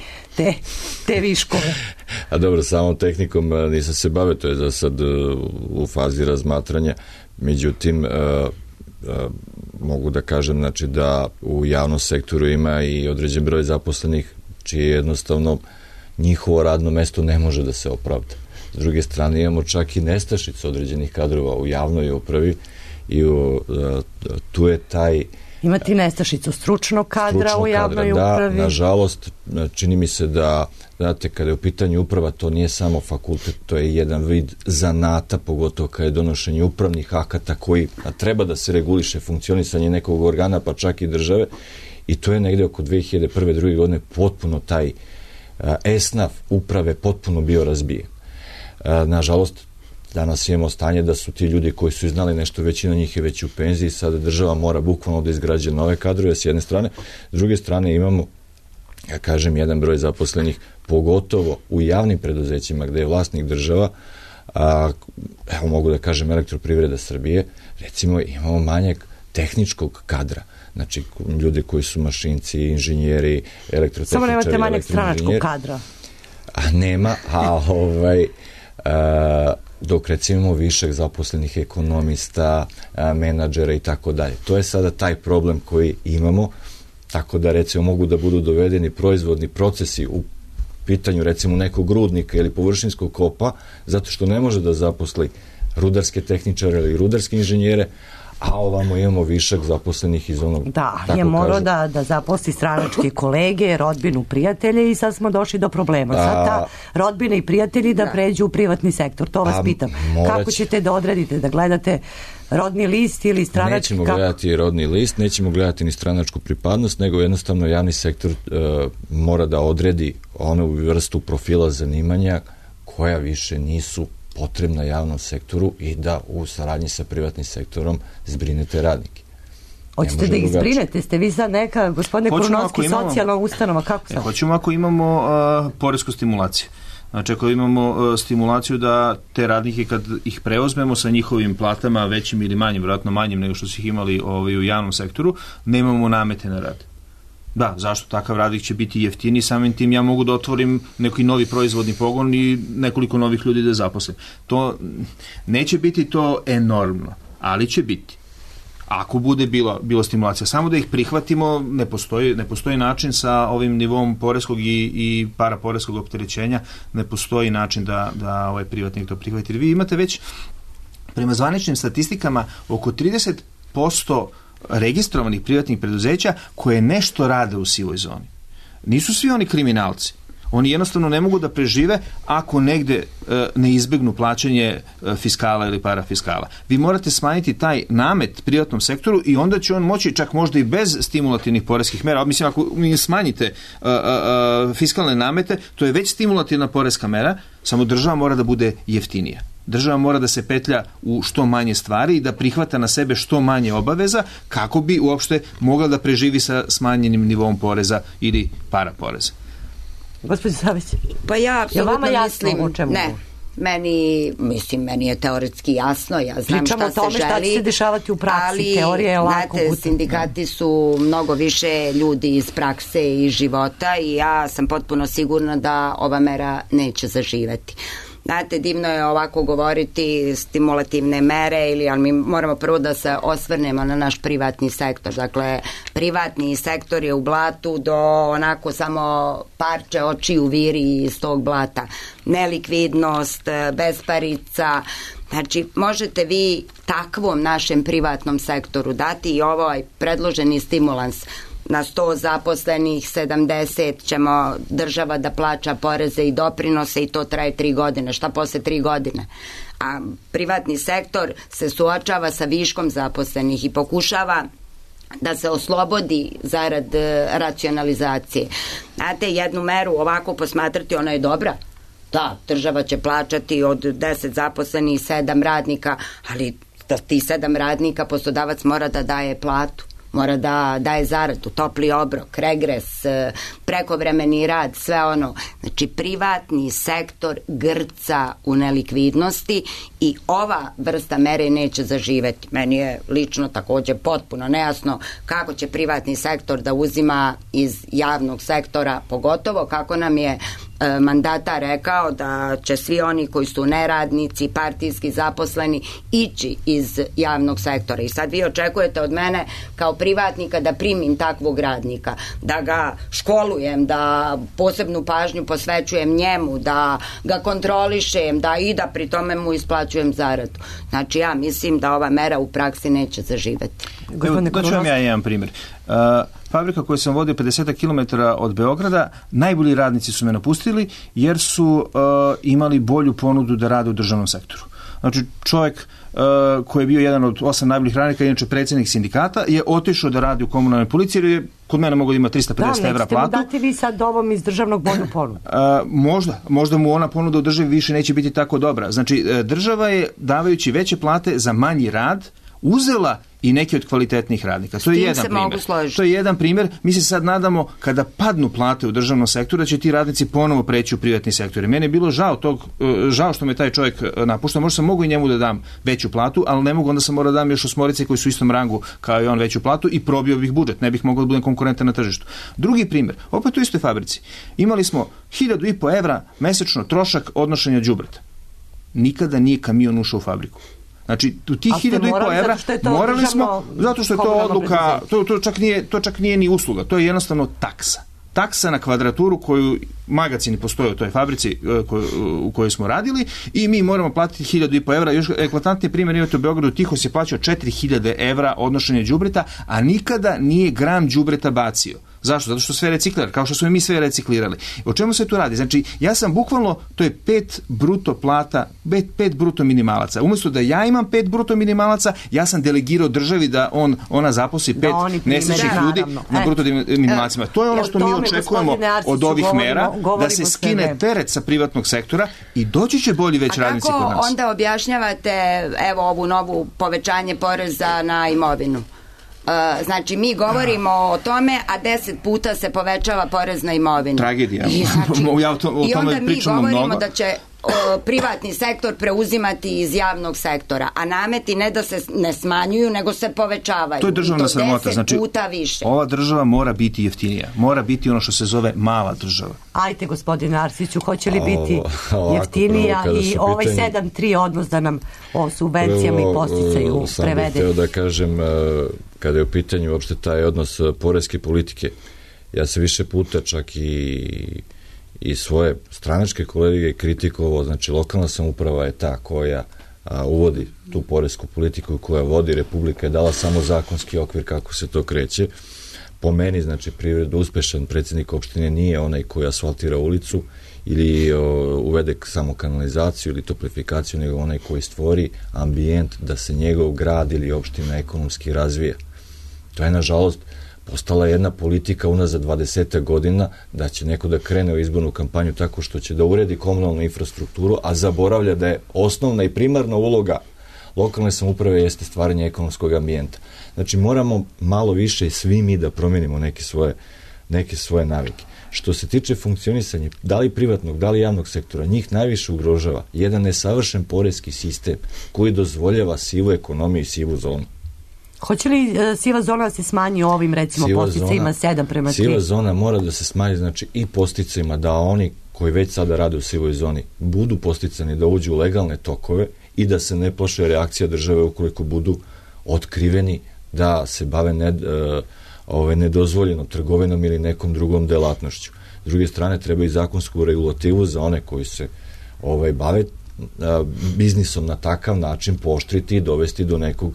te viškove. A dobro, samom tehnikom nisam se bavio, to je za sad u fazi razmatranja, međutim mogu da kažem, znači, da u javnom sektoru ima i određen broj zaposlenih čije jednostavno njihovo radno mesto ne može da se opravda. S druge strane imamo čak i nestašicu određenih kadrova u javnoj upravi i tu je taj Imati nestašicu stručnog kadra u javnoj upravi. Da, nažalost, čini mi se da, znate, kada je u pitanju uprava, to nije samo fakultet, to je jedan vid zanata, pogotovo kada je donošenje upravnih akata koji treba da se reguliše funkcionisanje nekog organa, pa čak i države, i to je negde oko 2001. 2. godine potpuno taj esnaf uprave potpuno bio razbijen. Nažalost, danas imamo stanje da su ti ljudi koji su znali nešto, većina njih je već u penziji, sada država mora bukvalno da izgrađe nove kadrove s jedne strane, s druge strane imamo, ja kažem, jedan broj zaposlenih, pogotovo u javnim preduzećima gde je vlasnik država, evo mogu da kažem Elektroprivreda Srbije, recimo imamo manjak tehničkog kadra. Znači, ljudi koji su mašinci, inženjeri, elektrotehničari. Samo nemate manjak stranačkog kadra. A nema, dok recimo imamo višak zaposlenih ekonomista, menadžera i tako dalje. To je sada taj problem koji imamo, tako da recimo mogu da budu dovedeni proizvodni procesi u pitanju recimo nekog rudnika ili površinskog kopa, zato što ne može da zaposli rudarske tehničare ili rudarske inženjere, a ovamo imamo višak zaposlenih iz onog... Da, je morao da zaposli stranačke kolege, rodbinu, prijatelje i sad smo došli do problema. Sad ta rodbina i prijatelji da pređu u privatni sektor. To vas pitam. Kako ćete da odredite, da gledate rodni list ili stranački... Nećemo gledati rodni list, nećemo gledati ni stranačku pripadnost, nego jednostavno javni sektor mora da odredi onu vrstu profila zanimanja koja više nisu potrebna javnom sektoru i da u saradnji sa privatnim sektorom zbrinete radnike. Hoćete da ih zbrinete? Ste vi sad neka, gospodine Krunovski, socijalna ustanova? Kako sad? Hoćemo ako imamo poresku stimulaciju. Znači, ako imamo stimulaciju da te radnike kad ih preuzmemo sa njihovim platama većim ili manjim, vjerojatno manjim nego što su ih imali u javnom sektoru, nemamo namete na rad. Da, zašto? Takav radnik će biti jeftiniji, samim tim ja mogu da otvorim neki novi proizvodni pogon i nekoliko novih ljudi da zaposlim. To neće biti to enormno, ali će biti. Ako bude bilo stimulacija, samo da ih prihvatimo, ne postoji način sa ovim nivom poreskog i paraporeskog opterećenja, ne postoji način da ovaj privatnik to prihvati. Vi imate već prema zvaničnim statistikama oko 30% registrovanih privatnih preduzeća koje nešto rade u sivoj zoni. Nisu svi oni kriminalci. Oni jednostavno ne mogu da prežive ako negde ne izbegnu plaćanje fiskala ili parafiskala. Vi morate smanjiti taj namet privatnom sektoru i onda će on moći, čak možda i bez stimulativnih poreskih mera, mislim ako mi smanjite fiskalne namete, to je već stimulativna poreska mera, samo država mora da bude jeftinija. Država mora da se petlja u što manje stvari i da prihvata na sebe što manje obaveza kako bi uopšte mogla da preživi sa smanjenim nivom poreza ili paraporeza. Gospodin Savić, pa ja apsolutno mislim, o čemu? Ne, meni je teoretski jasno, ja znam pričamo šta se želi. Pričamo o tome šta će se dešavati u praksi, ali, teorija je lako. Znate, sindikati su mnogo više ljudi iz prakse i života i ja sam potpuno sigurna da ova mera neće zaživeti. Znate, divno je ovako govoriti stimulativne mere, ali mi moramo prvo da se osvrnemo na naš privatni sektor. Dakle, privatni sektor je u blatu do onako samo parče očiju viri iz tog blata. Nelikvidnost, besparica. Znači, možete vi takvom našem privatnom sektoru dati i ovaj predloženi stimulans. Na 100 zaposlenih 70 ćemo država da plaća poreze i doprinose i to traje 3 godine. Šta posle 3 godine? A privatni sektor se suočava sa viškom zaposlenih i pokušava da se oslobodi zarad racionalizacije. Znate, jednu meru ovako posmatrati, ona je dobra. Da, država će plaćati od 10 zaposlenih 7 radnika, ali ti 7 radnika poslodavac mora da daje platu. Mora da daje zaradu, topli obrok, regres, prekovremeni rad, sve ono. Znači, privatni sektor grca u nelikvidnosti i ova vrsta mere neće zaživeti. Meni je lično također potpuno nejasno kako će privatni sektor da uzima iz javnog sektora, pogotovo kako nam je mandata rekao da će svi oni koji su neradnici, partijski zaposleni ići iz javnog sektora. I sad vi očekujete od mene kao privatnika da primim takvog radnika, da ga školujem, da posebnu pažnju posvećujem njemu, da ga kontrolišem, da i da pri tome mu isplaćujem zaradu. Znači, ja mislim da ova mera u praksi neće zaživeti. Da ću vam ja jedan primjer. Fabrika koju sam vodio 50 km od Beograda, najbolji radnici su me napustili jer su imali bolju ponudu da rade u državnom sektoru. Znači, čovjek koji je bio jedan od 8 najboljih radnika, inače predsjednik sindikata, je otišao da radi u komunalnoj policiji jer je kod mene mogao da ima 350 evra platu. Da, nećete mu dati vi sad ovom iz državnog bolju ponudu? Možda mu ona ponuda u državi više neće biti tako dobra. Znači, država je, davajući veće plate za manji rad, uzela i neki od kvalitetnih radnika. To je jedan primjer. To je jedan primjer. Mi se sad nadamo kada padnu plate u državnom sektoru da će ti radnici ponovo preći u privatni sektor. Mene je bilo žao što me taj čovjek napušta. Možda sam mogu i njemu da dam veću platu, ali ne mogu, onda sam morao da dam još osmorice koji su u istom rangu kao i on veću platu i probio bih budžet. Ne bih mogao da budem konkurentan na tržištu. Drugi primjer, opet u istoj fabrici. Imali smo 1.500 evra mesečno trošak odnošenja đubreta. Nikada nije kamion ušao u fabriku. Znači, u tih 1.500 evra morali smo, zato što je to odluka, to čak nije ni usluga, to je jednostavno taksa. Taksa na kvadraturu koju magacini postoje u toj fabrici u kojoj smo radili i mi moramo platiti 1.500 evra. Još eklatantni primjer imate u Beogradu, Tihos je plaćao 4.000 evra odnošenje đubreta, a nikada nije gram đubreta bacio. Zašto? Zato što sve reciklira, kao što smo i mi sve reciklirali. O čemu se tu radi? Znači, ja sam bukvalno, to je 5 bruto plata, 5 bruto minimalaca. Umjesto da ja imam 5 bruto minimalaca, ja sam delegirao državi da ona zaposli 5 nesrećnih ljudi na bruto minimalacima. To je ono što mi očekujemo od ovih mera, da se skine teret sa privatnog sektora i doći će bolji već radnici kod nas. A kako onda objašnjavate evo ovu novu povećanje poreza na imovinu? Znači, mi govorimo o tome, a 10 puta se povećava porez na imovinu. Tragedija. I onda mi govorimo da će privatni sektor preuzimati iz javnog sektora, a nameti ne da se ne smanjuju, nego se povećavaju. To je državna sramota. 10 znači, puta više. Ova država mora biti jeftinija. Mora biti ono što se zove mala država. Ajte, gospodine Arsiću, hoće li biti jeftinija i ovaj 7:3 odnos da nam o subvencijama i posticaju prevede? Sam bih hteo da kažem, kada je u pitanju uopšte taj odnos poreske politike, ja se više puta čak i svoje stranačke kolege kritikovao, znači lokalna samouprava je ta koja uvodi tu poresku politiku koja vodi, Republika je dala samo zakonski okvir kako se to kreće. Po meni, znači, privredno uspešan predsjednik opštine nije onaj koji asfaltira ulicu ili uvede samo kanalizaciju ili toplifikaciju, nego onaj koji stvori ambijent da se njegov grad ili opština ekonomski razvija. To je, nažalost, postala jedna politika unazad 20 godina da će neko da krene u izbornu kampanju tako što će da uredi komunalnu infrastrukturu, a zaboravlja da je osnovna i primarna uloga lokalne samouprave jeste stvaranje ekonomskog ambijenta. Znači, moramo malo više i svi mi da promenimo neke svoje navike. Što se tiče funkcionisanja, da li privatnog, da li javnog sektora, njih najviše ugrožava jedan nesavršen poreski sistem koji dozvoljava sivu ekonomiju i sivu zonu. Hoće li siva zona da se smanji ovim, recimo, posticajima 7:3? Siva zona mora da se smanji, znači, i posticajima da oni koji već sada rade u sivoj zoni budu posticani da uđu u legalne tokove i da se ne plaše reakcija države ukoliko budu otkriveni da se bave nedozvoljenom trgovinom ili nekom drugom delatnošću. S druge strane, treba i zakonsku regulativu za one koji se bave biznisom na takav način pooštriti i dovesti do nekog.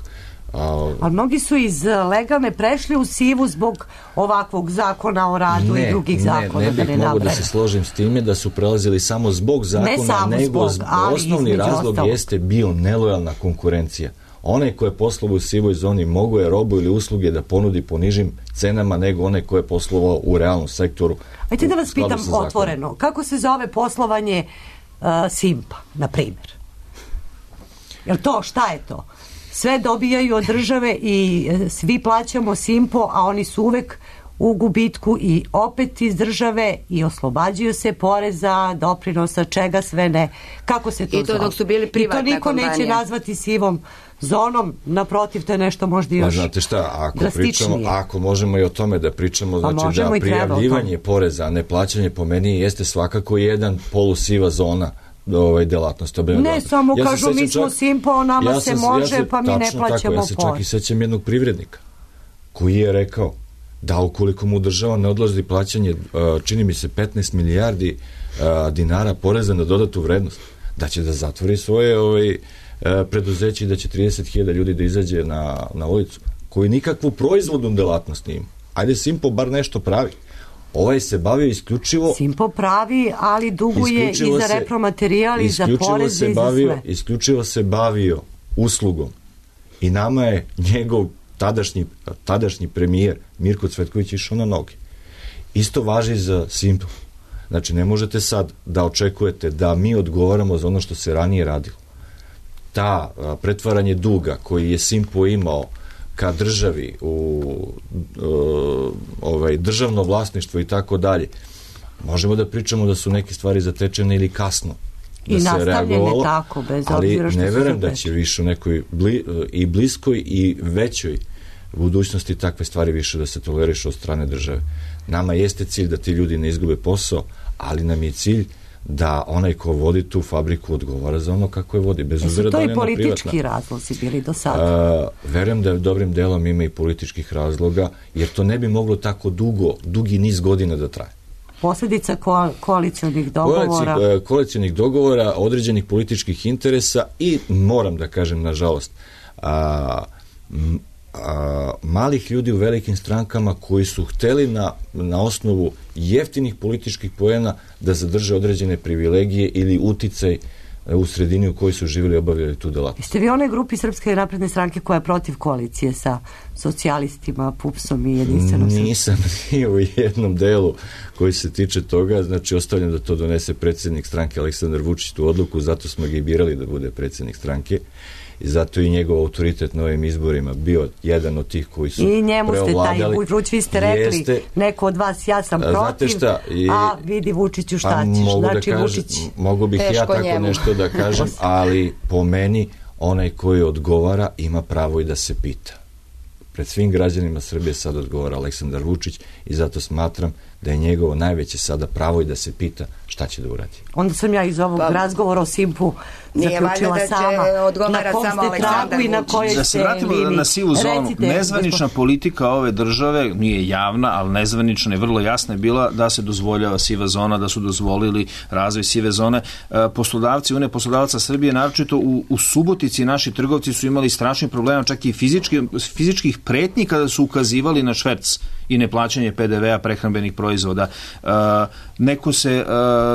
Ali mnogi su iz legalne prešli u sivu zbog ovakvog zakona o radu i drugih zakona. Ne bih mogu da se složim s time da su prelazili samo zbog zakona, nego osnovni razlog jeste bio nelojalna konkurencija. Onaj ko je poslovao u sivoj zoni mogo je robu ili usluge da ponudi po nižim cenama nego onaj ko je poslovao u realnom sektoru. Ajte da vas pitam otvoreno, kako se zove poslovanje Simpa, na primjer? Jel to, šta je to? Sve dobijaju od države i svi plaćamo Simpo, a oni su uvek u gubitku i opet iz države i oslobađaju se poreza, doprinosa, čega sve ne. Kako se to zove? I to dok su bili privatna kompanija. I to niko neće nazvati sivom zonom, naprotiv, to je nešto možda još drastičnije. Znate šta, ako možemo i o tome da pričamo, znači da prijavljivanje poreza, a ne plaćanje po meni jeste svakako jedan polusiva zona delatnost. Ne, samo kažu mi smo Simpo, nama se može, pa mi ne plaćamo porez. Ja se čak i sećam jednog privrednika koji je rekao da ukoliko mu država ne odloži plaćanje, čini mi se 15 milijardi dinara poreza na dodatu vrednost, da će da zatvori svoje preduzeće i da će 30.000 ljudi da izađe na ulicu, koji nikakvu proizvodnu delatnost nije. Ajde, Simpo bar nešto pravi. Ovaj se bavio isključivo... Simpo pravi, ali duguje i za repromaterijal, i za poreze, i za sve. Isključivo se bavio uslugom. I nama je njegov tadašnji premijer Mirko Cvetković išao na noge. Isto važi za Simpo. Znači, ne možete sad da očekujete da mi odgovaramo za ono što se ranije radilo. ta pretvaranje duga koji je Simpo imao ka državi u državno vlasništvo i tako dalje, možemo da pričamo da su neke stvari zatečene ili kasno da se reagovalo, tako, bez ali obzira što ne verujem da će više u nekoj i bliskoj i većoj budućnosti takve stvari više da se tolerišu od strane države. Nama jeste cilj da ti ljudi ne izgube posao, ali nam je cilj da onaj ko vodi tu fabriku odgovara za ono kako je vodi, bez obzira da li je ona privatna. To i politički razlozi bili do sada? Verujem da dobrim delom ima i političkih razloga, jer to ne bi moglo tako dugi niz godina da traje. Posljedica koalicionih dogovora? Koalicionih dogovora, određenih političkih interesa i, moram da kažem, nažalost, malih ljudi u velikim strankama koji su hteli na osnovu jeftinih političkih poena da zadrže određene privilegije ili uticaj u sredini u kojoj su živjeli i obavljali tu delatnost. Jeste vi onoj grupi Srpske napredne stranke koja je protiv koalicije sa socijalistima, PUPS-om i Jedinstvenom Srbijom? Nisam ni u jednom delu koji se tiče toga, znači ostavljam da to donese predsjednik stranke Aleksandar Vučić tu odluku, zato smo ga i birali da bude predsjednik stranke. I zato i njegov autoritet na ovim izborima bio jedan od tih koji su preovladali. I njemu ste taj Vučić, vi ste rekli, neko od vas, ja sam protiv, a vidi Vučiću šta ćeš. Znači, Vučić... Mogu bih ja tako nešto da kažem, ali po meni onaj koji odgovara ima pravo i da se pita. Pred svim građanima Srbije sad odgovara Aleksandar Vučić i zato smatram da je njegovo najveće sada pravo i da se pita šta će da uradi. Onda sam ja iz ovog razgovora o Simpu zaključila sama na kom ste tragu i na kojoj da se vratimo na sivu zonu. Nezvanična politika ove države nije javna, ali nezvanična i vrlo jasna je bila da se dozvoljava siva zona, da su dozvolili razvoj sive zone. Poslodavci, Unija poslodavaca Srbije, naročito u Subotici, naši trgovci su imali strašnih problema, čak i fizičkih pretnji kada su ukazivali na šverc i neplaćanje PDV-a prehrambenih proizvoda.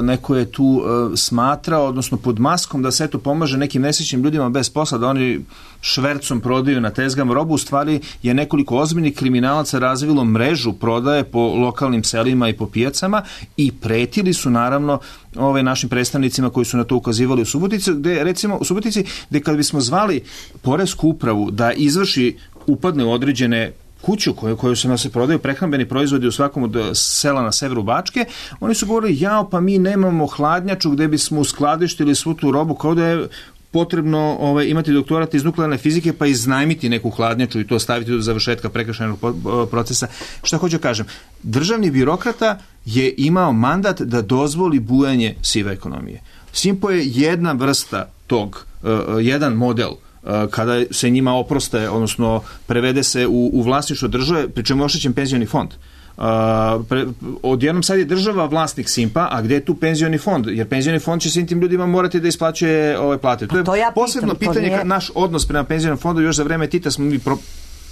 Neko je tu smatrao, odnosno pod maskom da se to pomaže nekim nesrećnim ljudima bez posla, da oni švercom prodaju na tezgama robu. U stvari je nekoliko ozbiljnih kriminalaca razvilo mrežu prodaje po lokalnim selima i po pijacama i pretili su naravno našim predstavnicima koji su na to ukazivali u Subotici, gde kad bismo zvali poresku upravu da izvrši upadne u određene kuću koju se prodaju prehrambeni proizvodi u svakom od sela na severu Bačke, oni su govorili, pa mi nemamo hladnjaču gde bismo uskladištili svu tu robu, kao da je potrebno imati doktorat iz nuklearne fizike pa iznajmiti neku hladnjaču i to staviti do završetka prekršajnog procesa. Šta hoću kažem? Državni birokrata je imao mandat da dozvoli bujanje sive ekonomije. Simpo je jedna vrsta tog, jedan model kada se njima oproste, odnosno prevede se u vlasništvo države, pri čemu je oštećen penzioni fond. Odjednom sad je država vlasnik Simpa, a gde je tu penzioni fond? Jer penzioni fond će svim tim ljudima morati da isplaćuje ove plate. To je posebno pitanje, naš odnos prema penzionom fondu. Još za vreme Tita smo mi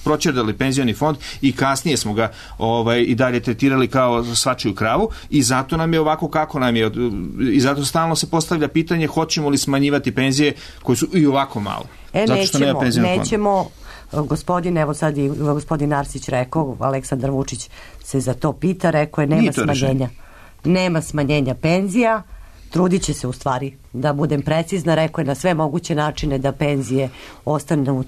proćerdali penzioni fond i kasnije smo ga i dalje tretirali kao svačiju kravu i zato nam je ovako kako nam je i zato stalno se postavlja pitanje hoćemo li smanjivati penzije koje su i ovako malo. Nećemo, evo sad i gospodin Arsić rekao, Aleksandar Vučić se za to pita, rekao je nema smanjenja penzija, trudit će se u stvari, da budem precizna, rekao je na sve moguće načine da penzije ostanu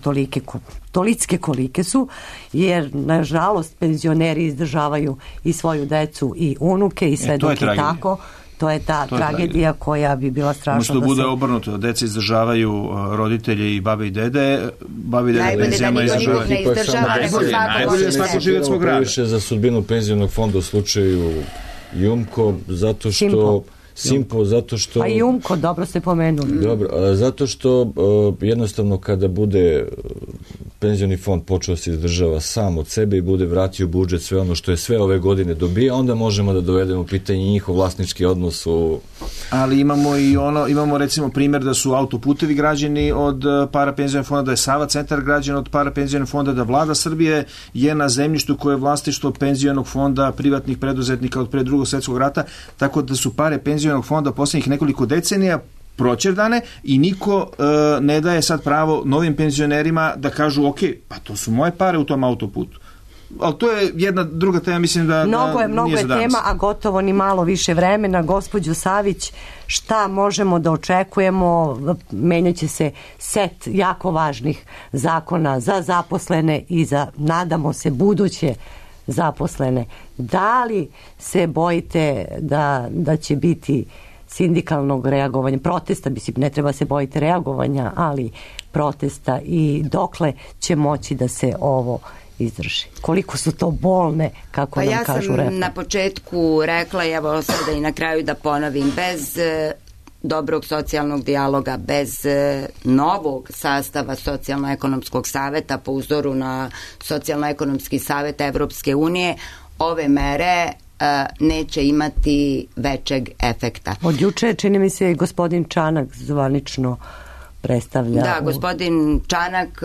tolike kolike su, jer nažalost penzioneri izdržavaju i svoju decu i unuke i sve dok je tako. To je ta tragedija koja bi bila strašna. Možda bude obrnuto, deca izdržavaju roditelje i babe i dede, penzijama izdržavaju. Najbolje svako žive svog rada. Najviše za sudbinu penzionog fonda u slučaju Jumko, zato što Simpo, zato što... Pa i Umko, dobro ste pomenuli. Dobro, zato što jednostavno kada bude penzioni fond počeo se izdržava sam od sebe i bude vratio budžet sve ono što je sve ove godine dobija, onda možemo da dovedemo pitanje njihov vlasnički odnos u... Ali imamo recimo primjer da su autoputevi građeni od para penzionog fonda, da je Sava centar građen od para penzionog fonda, da vlada Srbije je na zemljištu koje je vlasništvo penzionog fonda privatnih preduzetnika od pre Drugog svjetskog rata, tako da su pare penzionog fonda posljednjih nekoliko decenija proćerdane i niko ne daje sad pravo novim penzionerima da kažu ok, pa to su moje pare u tom autoputu. ali to je jedna druga tema, mislim da mnogo nije je za danas. tema, a gotovo ni malo više vremena. Gospođo Savić, šta možemo da očekujemo? Menjaće se set jako važnih zakona za zaposlene i za, nadamo se, buduće zaposlene. Da li se bojite da će biti sindikalnog reagovanja, protesta, ne treba se bojiti reagovanja, ali protesta, i dokle će moći da se ovo izdrži? Koliko su to bolne, kako nam kažu reforme? Ja sam na početku rekla, evo sada i na kraju da ponovim, bez dobrog socijalnog dijaloga, bez novog sastava Socijalno-ekonomskog saveta po uzoru na Socijalno-ekonomski savet Evropske unije, ove mere neće imati većeg efekta. Od juče, čini mi se, gospodin Čanak zvanično predstavlja. Da, gospodin Čanak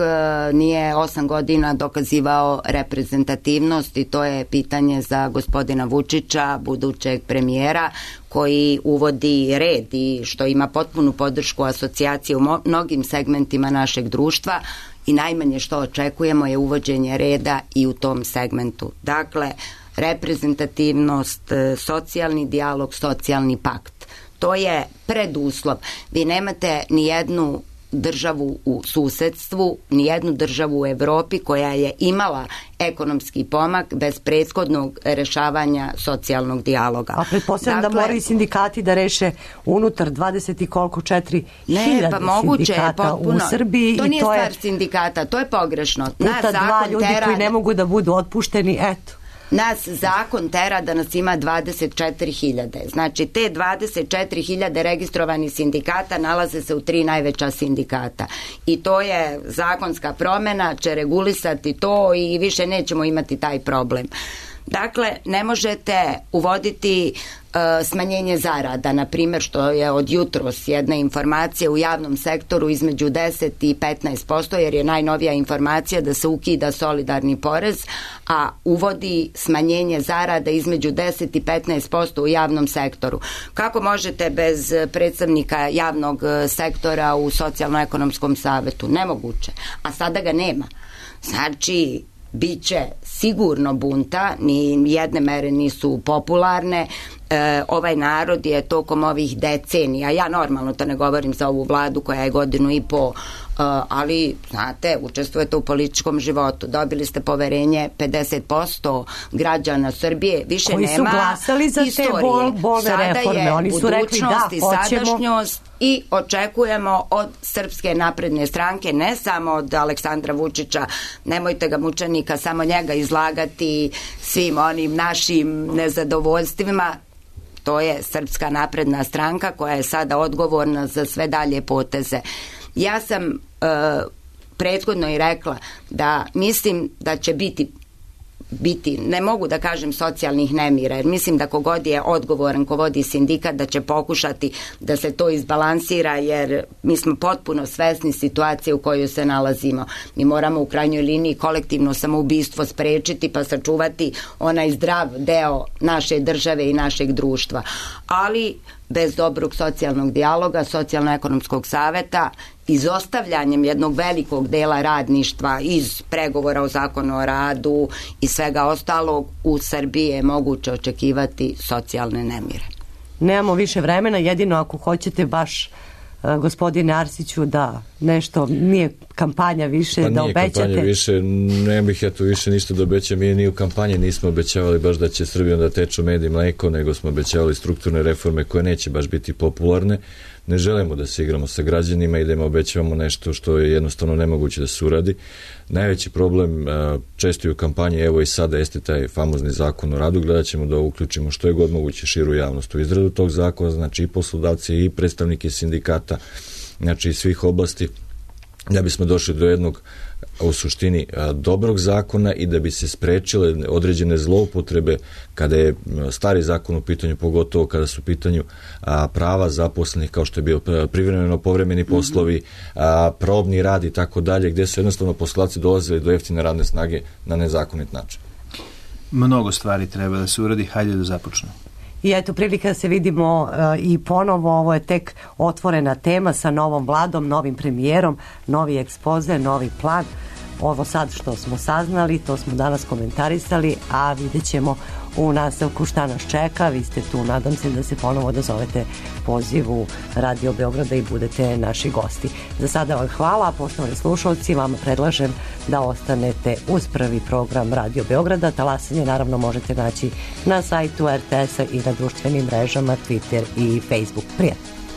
nije 8 godina dokazivao reprezentativnost, i to je pitanje za gospodina Vučića, budućeg premijera, koji uvodi red i što ima potpunu podršku asocijacije u mnogim segmentima našeg društva, i najmanje što očekujemo je uvođenje reda i u tom segmentu. Dakle, reprezentativnost, socijalni dijalog, socijalni pakt. To je preduslov. Vi nemate ni jednu državu u susedstvu, ni jednu državu u Evropi koja je imala ekonomski pomak bez prethodnog rešavanja socijalnog dijaloga. A pretpostavljam da moraju sindikati da reše unutar 20 i koliko, 4.000 sindikata u Srbiji. To nije stvar sindikata, to je pogrešno. Puta dva ljudi koji ne mogu da budu otpušteni, eto. Nas zakon tera da nas ima 24.000. Znači, te 24.000 registrovanih sindikata nalaze se u 3 najveća sindikata. I to je zakonska promena, će regulisati to i više nećemo imati taj problem. Dakle, ne možete uvoditi smanjenje zarada, na primjer, što je od jutros jedna informacija u javnom sektoru između 10 i 15%, jer je najnovija informacija da se ukida solidarni porez, a uvodi smanjenje zarada između 10 i 15% u javnom sektoru. Kako možete bez predstavnika javnog sektora u Socijalno-ekonomskom savetu? Nemoguće. A sada ga nema. Znači, biće sigurno bunta, ni jedne mere nisu popularne. Ovaj narod je tokom ovih decenija, ja normalno to ne govorim za ovu vladu koja je 1.5 godina, ali znate, učestvujete u političkom životu, dobili ste poverenje 50% građana Srbije, više koji nema su glasali za istorije. Te bolne reforme, oni su rekli da, hoćemo. Sadašnjost, i očekujemo od Srpske napredne stranke, ne samo od Aleksandra Vučića, nemojte ga mučenika, samo njega izlagati svim onim našim nezadovoljstvima. To je Srpska napredna stranka koja je sada odgovorna za sve dalje poteze. Ja sam prethodno i rekla da mislim da će biti, ne mogu da kažem socijalnih nemira, jer mislim da kogod je odgovoran, ko vodi sindikat, da će pokušati da se to izbalansira, jer mi smo potpuno svesni situacije u kojoj se nalazimo. Mi moramo u krajnjoj liniji kolektivno samoubistvo sprečiti, pa sačuvati onaj zdrav deo naše države i našeg društva. Ali bez dobrog socijalnog dijaloga, Socijalno-ekonomskog saveta, izostavljanjem jednog velikog dela radništva iz pregovora o zakonu o radu i svega ostalog, u Srbiji je moguće očekivati socijalne nemire. Nemamo više vremena, jedino ako hoćete baš, gospodine Arsiću, da nešto, nije kampanja više, pa da obećate. Pa nije kampanja više, ne bih ja tu više ništa da obećam, mi ni u kampanji nismo obećavali baš da će Srbijom da teču med i mleko, nego smo obećavali strukturne reforme koje neće baš biti popularne. Ne želimo da se igramo sa građanima i da im obećavamo nešto što je jednostavno nemoguće da se uradi. Najveći problem često i u kampanji, evo i sada, jeste taj famozni zakon o radu. Gledat ćemo da uključimo što je god moguće širu javnost u izradu tog zakona, znači i poslodavci i predstavnike sindikata, znači i svih oblasti, da bismo došli do jednog, u suštini, dobrog zakona i da bi se sprečile određene zloupotrebe kada je stari zakon u pitanju, pogotovo kada su u pitanju prava zaposlenih, kao što je bio privremeno povremeni poslovi, probni rad i tako dalje, gde su jednostavno poslodavci dolazili do jeftine radne snage na nezakonit način. Mnogo stvari treba da se uradi, hajde da započnemo. I eto, prilika da se vidimo i ponovo, ovo je tek otvorena tema sa novom vladom, novim premijerom, novi ekspoze, novi plan. ovo sad što smo saznali, to smo danas komentarisali, a vidjet ćemo u nastavku šta nas čeka. Vi ste tu, nadam se da se ponovo odazovete pozivu Radio Beograda i budete naši gosti. Za sada vam hvala, poštovani slušalci, vam predlažem da ostanete uz prvi program Radio Beograda. Talasanje naravno možete naći na sajtu RTS-a i na društvenim mrežama Twitter i Facebook. Prijatno!